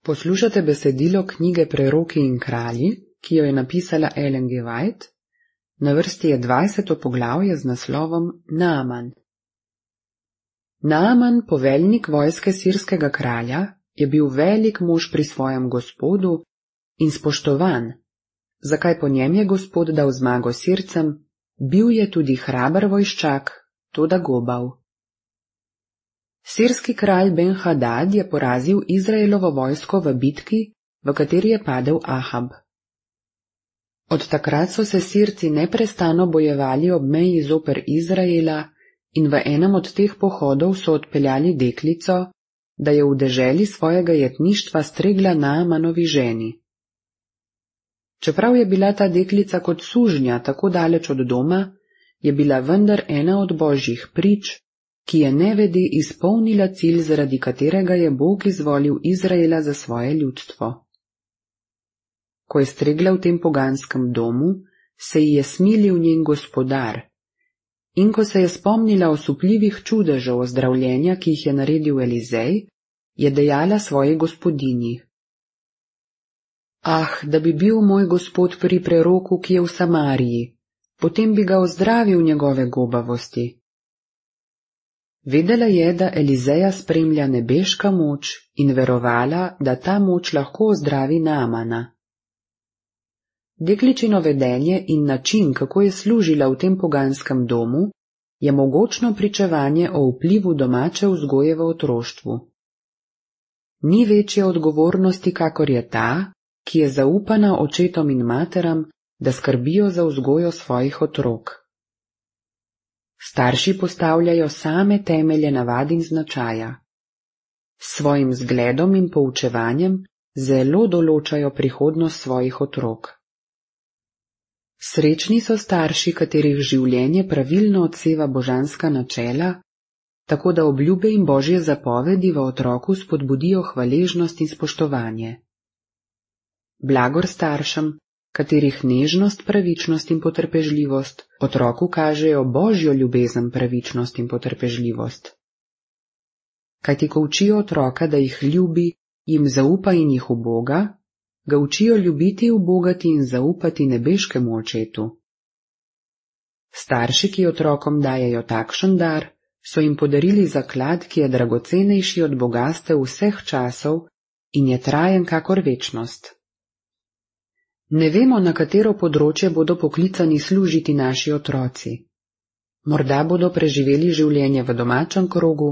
Poslušate besedilo knjige Preroki in kralji, ki jo je napisala Ellen G. White. Na vrsti je 20. poglavje z naslovom Naaman. Naaman, poveljnik vojske sirskega kralja, je bil velik mož pri svojem gospodu in spoštovan, zakaj po njem je gospod dal zmago Sircem, bil je tudi hraber vojščak, toda gobav. Sirski kralj Ben-Hadad je porazil Izraelovo vojsko v bitki, v kateri je padel Ahab. Od takrat so se Sirci neprestano bojevali ob meji zoper Izraela in v enem od teh pohodov so odpeljali deklico, da je v deželi svojega jetništva stregla Naamanovi ženi. Čeprav je bila ta deklica kot sužnja tako daleč od doma, je bila vendar ena od božjih prič, ki je nevede izpolnila cilj, zaradi katerega je Bog izvolil Izraela za svoje ljudstvo. Ko je stregla v tem poganskem domu, se ji je smilil njen gospodar, in ko se je spomnila osupljivih čudežev ozdravljenja, ki jih je naredil Elizej, je dejala svoji gospodinji: Ah, da bi bil moj gospod pri preroku, ki je v Samariji, potem bi ga ozdravil njegove gobavosti. Vedela je, da Elizeja spremlja nebeška moč in verovala, da ta moč lahko ozdravi Naamana. Dekličino vedenje in način, kako je služila v tem poganskem domu, je mogočno pričevanje o vplivu domače vzgoje v otroštvu. Ni večje odgovornosti, kakor je ta, ki je zaupana očetom in materam, da skrbijo za vzgojo svojih otrok. Starši postavljajo same temelje navad in značaja. S svojim zgledom in poučevanjem zelo določajo prihodnost svojih otrok. Srečni so starši, katerih življenje pravilno odseva božanska načela, tako da obljube in božje zapovedi v otroku spodbudijo hvaležnost in spoštovanje. Blagor staršem, katerih nežnost, pravičnost in potrpežljivost otroku kažejo božjo ljubezen, pravičnost in potrpežljivost. Kajti ko učijo otroka, da jih ljubi, jim zaupa in jih uboga, ga učijo ljubiti, ubogati in zaupati nebeškemu očetu. Starši, ki otrokom dajejo takšen dar, so jim podarili zaklad, ki je dragocenejši od bogastev vseh časov in je trajen kakor večnost. Ne vemo, na katero področje bodo poklicani služiti naši otroci. Morda bodo preživeli življenje v domačem krogu,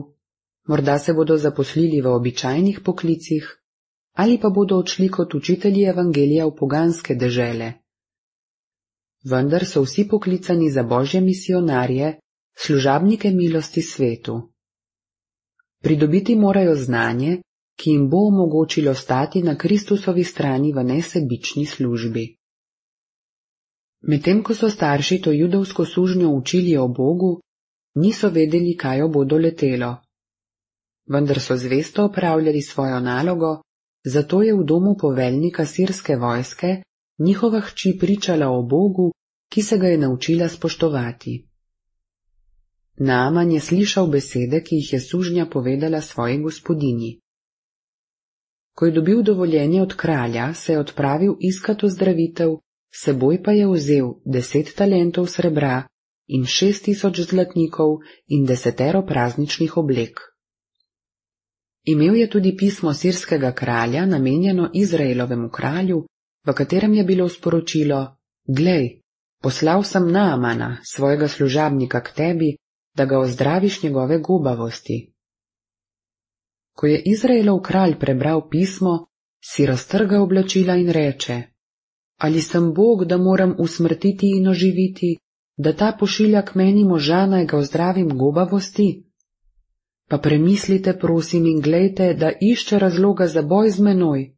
morda se bodo zaposlili v običajnih poklicih, ali pa bodo odšli kot učitelji evangelija v poganske dežele. Vendar so vsi poklicani za božje misionarje, služabnike milosti svetu. Pridobiti morajo znanje, ki jim bo omogočilo stati na Kristusovi strani v nesebični službi. Medtem ko so starši to judovsko sužnjo učili o Bogu, niso vedeli, kaj jo bo doletelo. Vendar so zvesto opravljali svojo nalogo, zato je v domu poveljnika sirske vojske njihova hči pričala o Bogu, ki se ga je naučila spoštovati. Naaman je slišal besede, ki jih je sužnja povedala svoji gospodinji. Ko je dobil dovoljenje od kralja, se je odpravil iskat ozdravitev, seboj pa je vzel 10 talentov srebra in 6000 zlatnikov in 10 prazničnih oblek. Imel je tudi pismo sirskega kralja, namenjeno Izraelovemu kralju, v katerem je bilo sporočilo: Glej, poslal sem Naamana, svojega služabnika, k tebi, da ga ozdraviš njegove gobavosti. Ko je Izraelov kralj prebral pismo, si raztrga oblačila in reče: Ali sem Bog, da moram usmrtiti in oživiti, da ta pošilja k meni moža, naj ga ozdravim gobavosti? Pa premislite, prosim, in glejte, da išče razloga za boj z menoj.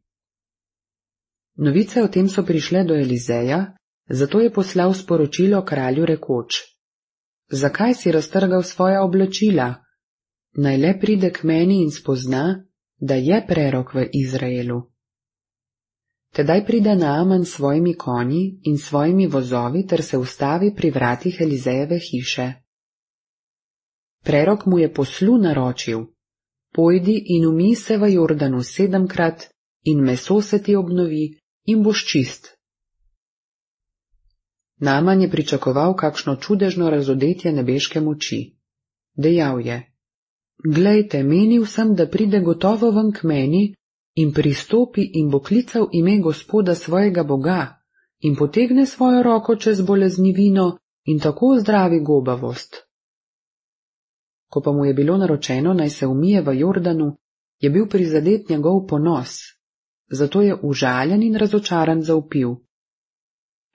Novice o tem so prišle do Elizeja, zato je poslal sporočilo kralju rekoč: Zakaj si raztrgal svoja oblačila? Naj le pride k meni in spozna, da je prerok v Izraelu. Tedaj pride Naaman s svojimi konji in svojimi vozovi ter se ustavi pri vratih Elizejeve hiše. Prerok mu je poslu naročil: Pojdi in umij se v Jordanu 7-krat in meso se ti obnovi in boš čist. Naaman je pričakoval kakšno čudežno razodetje nebeške moči. Dejal je: Glejte, menil sem, da pride gotovo ven k meni in pristopi in bo klical ime Gospoda svojega Boga in potegne svojo roko čez boleznivino in tako zdravi gobavost. Ko pa mu je bilo naročeno, naj se umije v Jordanu, je bil prizadet njegov ponos, zato je užaljen in razočaran zavpil: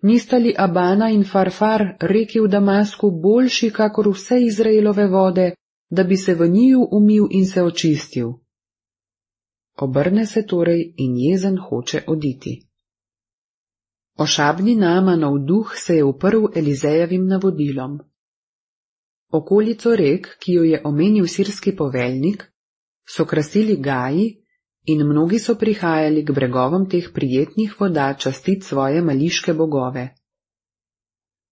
Nista li Abana in Farfar reki v Damasku boljši kakor vse Izraelove vode, da bi se v njiju umil in se očistil? Obrne se torej in jezen hoče oditi. Ošabni Naamanov duh se je uprl Elizejevim navodilom. Okolico rek, ki jo je omenil sirski poveljnik, so krasili gaji in mnogi so prihajali k bregovom teh prijetnih voda častit svoje mališke bogove.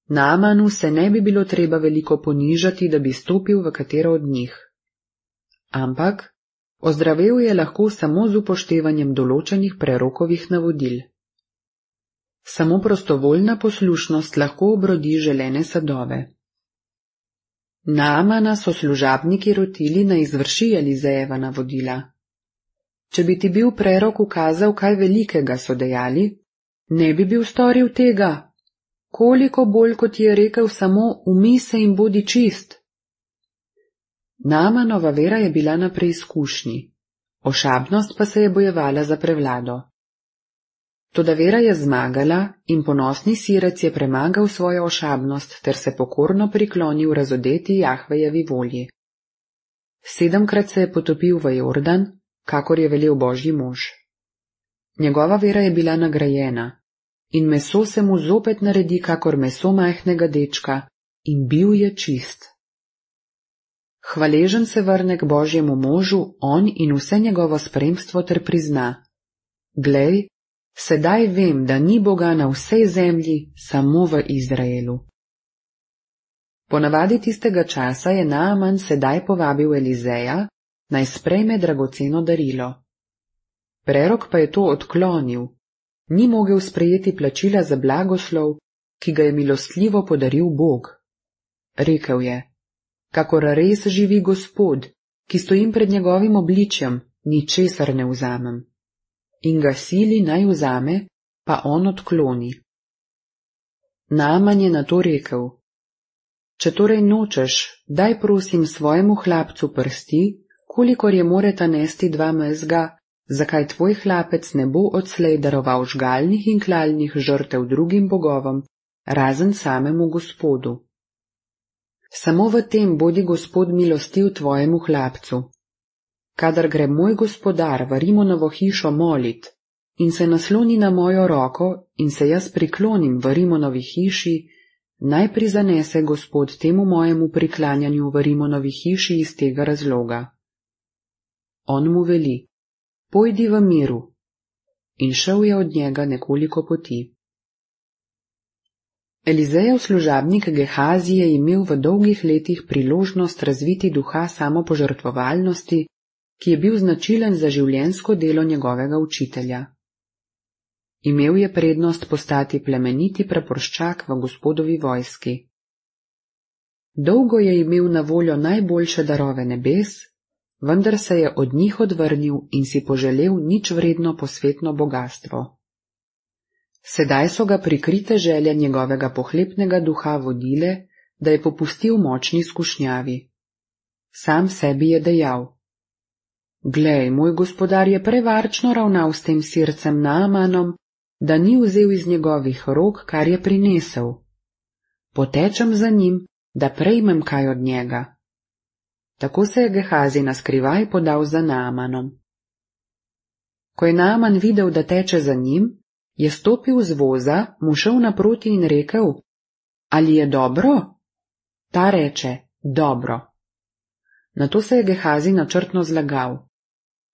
Naamanu se ne bi bilo treba veliko ponižati, da bi stopil v katero od njih. Ampak ozdravel je lahko samo z upoštevanjem določenih prerokovih navodil. Samo prostovoljna poslušnost lahko obrodi želene sadove. Naamana so služabniki rotili, naj izvrši Elizejeva navodila. Če bi ti bil prerok ukazal kaj velikega, so dejali, ne bi bil storil tega. Koliko bolj, kot je rekel samo, umij se in bodi čist. Naamanova vera je bila na preizkušnji, ošabnost pa se je bojevala za prevlado. Toda vera je zmagala in ponosni sirec je premagal svojo ošabnost ter se pokorno priklonil razodeti Jahvejevi volji. 7-krat se je potopil v Jordan, kakor je velel Božji mož. Njegova vera je bila nagrajena in meso se mu zopet naredi kakor meso majhnega dečka in bil je čist. Hvaležen se vrne k Božjemu možu, on in vse njegovo spremstvo ter prizna: Glej, sedaj vem, da ni Boga na vsej zemlji, samo v Izraelu. Po navadi tistega časa je Naaman sedaj povabil Elizeja, naj sprejme dragoceno darilo. Prerok pa je to odklonil, ni mogel sprejeti plačila za blagoslov, ki ga je milostljivo podaril Bog. Rekel je: Kakor res živi Gospod, ki stojim pred njegovim obličjem, ničesar ne vzamem. In ga sili naj vzame, pa on odkloni. Naaman je na to rekel: Če torej nočeš, daj prosim svojemu hlapcu prsti, kolikor je moreta nesti 2 mezga, zakaj tvoj hlapec ne bo odslej daroval žgalnih in klalnih žrtev drugim bogovom, razen samemu Gospodu. Samo v tem bodi Gospod milostiv tvojemu hlapcu. Kadar gre moj gospodar v Rimonovo hišo molit in se nasloni na mojo roko in se jaz priklonim v Rimonovi hiši, naj prizanese Gospod temu mojemu priklanjanju v Rimonovi hiši iz tega razloga. On mu veli: Pojdi v miru. In šel je od njega nekoliko poti. Elizejev služabnik Gehazi je imel v dolgih letih priložnost razviti duha samopožrtvovalnosti, ki je bil značilen za življenjsko delo njegovega učitelja. Imel je prednost postati plemeniti praporščak v Gospodovi vojski. Dolgo je imel na voljo najboljše darove nebes, vendar se je od njih odvrnil in si poželel ničvredno posvetno bogastvo. Sedaj so ga prikrite želje njegovega pohlepnega duha vodile, da je popustil močni skušnjavi. Sam sebi je dejal: Glej, moj gospodar je prevarčno ravnal s tem sircem Naamanom, da ni vzel iz njegovih rok, kar je prinesel. Potečem za njim, da prejmem kaj od njega. Tako se je Gehazi naskrivaj podal za Naamanom. Ko je Naaman videl, da teče za njim, je stopil z voza, mu šel naproti in rekel: Ali je dobro? Ta reče: Dobro. Nato se je Gehazi načrtno zlagal: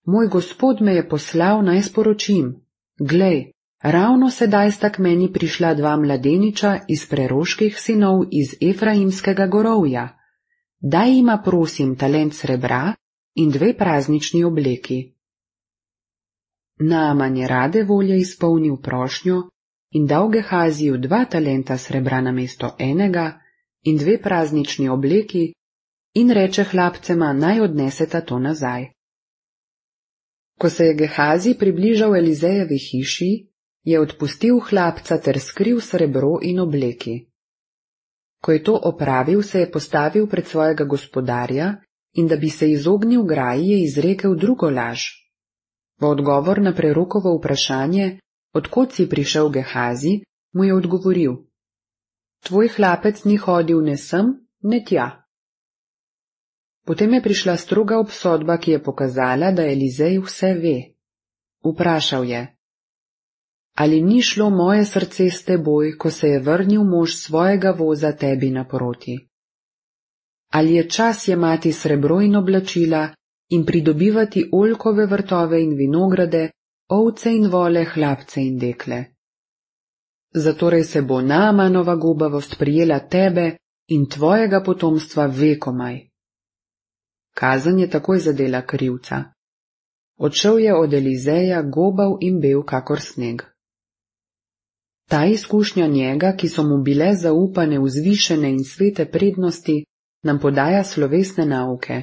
Moj gospod me je poslal, naj sporočim: Glej, ravno sedaj sta k meni prišla 2 mladeniča iz preroških sinov iz Efraimskega gorovja. Daj jima prosim talent srebra in 2 praznični obleki. Naaman je rade volje izpolnil prošnjo in dal Gehaziju 2 talenta srebra namesto enega in 2 praznični obleki in reče hlapcema, naj odneseta to nazaj. Ko se je Gehazi približal Elizejevi hiši, je odpustil hlapca ter skril srebro in obleki. Ko je to opravil, se je postavil pred svojega gospodarja in da bi se izognil graji, je izrekel drugo laž. V odgovor na prerokovo vprašanje, od kod si prišel Gehazi, mu je odgovoril: Tvoj hlapec ni hodil ne sem, ne tja. Potem je prišla stroga obsodba, ki je pokazala, da Elizej vse ve. Vprašal je: Ali ni šlo moje srce s teboj, ko se je vrnil mož svojega voza tebi naproti? Ali je čas jemati srebro in oblačila in pridobivati oljkove vrtove in vinograde, ovce in vole, hlapce in dekle? Zatorej se bo Naamanova gubavost prijela tebe in tvojega potomstva vekomaj. Kazen je takoj zadela krivca. Odšel je od Elizeja gobav in bel kakor sneg. Ta izkušnja njega, ki so mu bile zaupane vzvišene in svete prednosti, nam podaja slovesne nauke.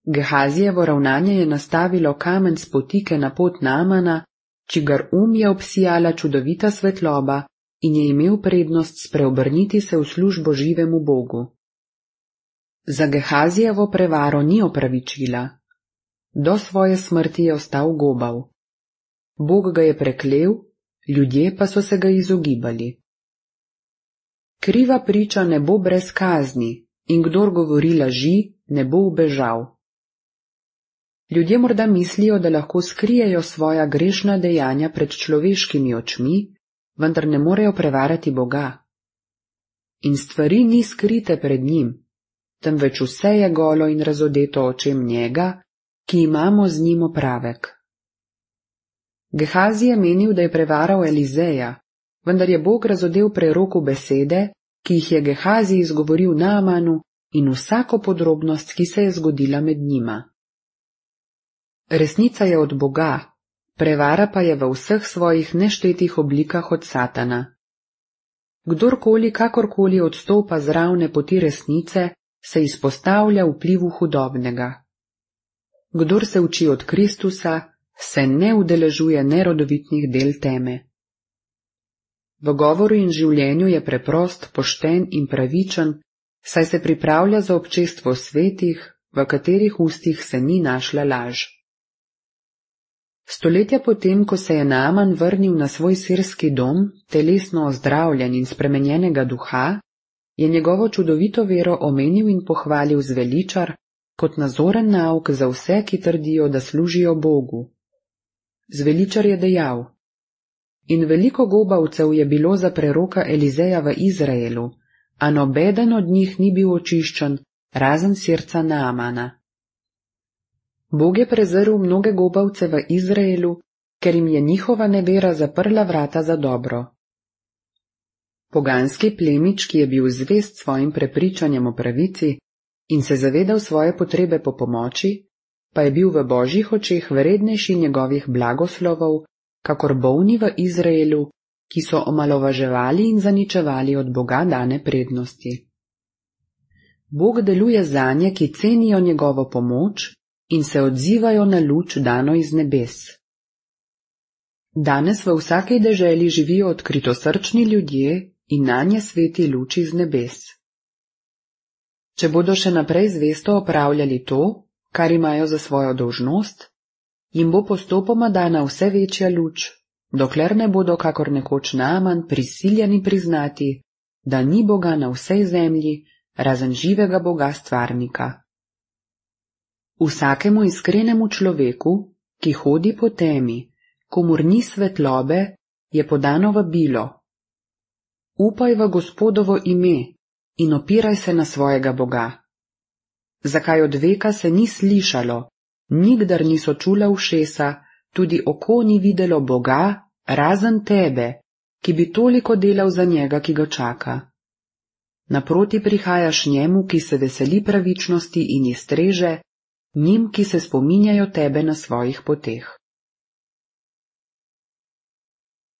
Gehazijevo ravnanje je nastavilo kamen spotike na pot Naamana, čigar je obsijala čudovita svetloba in je imel prednost spreobrniti se v službo živemu Bogu. Za Gehazijevo prevaro ni opravičila. Do svoje smrti je ostal gobav. Bog ga je preklel, ljudje pa so se ga izogibali. Kriva priča ne bo brez kazni in kdor govori laži, ne bo ubežal. Ljudje morda mislijo, da lahko skrijejo svoja grešna dejanja pred človeškimi očmi, vendar ne morejo prevarati Boga. In stvari ni skrite pred njim, temveč vse je golo in razodeto očem njega, ki imamo z njim opravek. Gehazi je menil, da je prevaral Elizeja, vendar je Bog razodel preroku besede, ki jih je Gehazi izgovoril Naamanu, in vsako podrobnost, ki se je zgodila med njima. Resnica je od Boga, prevara pa je v vseh svojih neštetih oblikah od Satana. Kdorkoli kakorkoli odstopa z ravne poti resnice, se izpostavlja vplivu hudobnega. Kdor se uči od Kristusa, se ne udeležuje nerodovitnih del teme. V govoru in življenju je preprost, pošten in pravičen, saj se pripravlja za občestvo svetih, v katerih ustih se ni našla laž. Stoletja potem, ko se je Naaman vrnil na svoj sirski dom, telesno ozdravljen in spremenjenega duha, je njegovo čudovito vero omenil in pohvalil zveličar kot nazoren nauk za vse, ki trdijo, da služijo Bogu. Zveličar je dejal: In veliko gobavcev je bilo za preroka Elizeja v Izraelu, a nobeden od njih ni bil očiščen, razen sirca Naamana. Bog je prezrl mnoge gobavce v Izraelu, ker jim je njihova nevera zaprla vrata za dobro. Poganski plemič, ki je bil zvest svojim prepričanjem o pravici in se zavedal svoje potrebe po pomoči, pa je bil v Božjih očeh vrednejši njegovih blagoslovov, kakor bolni v Izraelu, ki so omalovaževali in zaničevali od Boga dane prednosti. Bog deluje zanje, ki cenijo njegovo pomoč in se odzivajo na luč dano iz nebes. Danes v vsaki deželi živijo odkritosrčni ljudje in nanje sveti luč iz nebes. Če bodo še naprej zvesto opravljali to, kar imajo za svojo dolžnost, jim bo postopoma dana vse večja luč, dokler ne bodo kakor nekoč Naaman prisiljeni priznati, da ni Boga na vsej zemlji, razen živega Boga stvarnika. Vsakemu iskrenemu človeku, ki hodi po temi, komur ni svetlobe, je podano vabilo: Upaj v Gospodovo ime in opiraj se na svojega Boga. Zakaj od veka se ni slišalo, nikdar niso čula ušesa, tudi oko ni videlo Boga, razen tebe, ki bi toliko delal za njega, ki ga čaka. Naproti prihajaš njemu, ki se veseli pravičnosti in iztreže, njim, ki se spominjajo tebe na svojih poteh.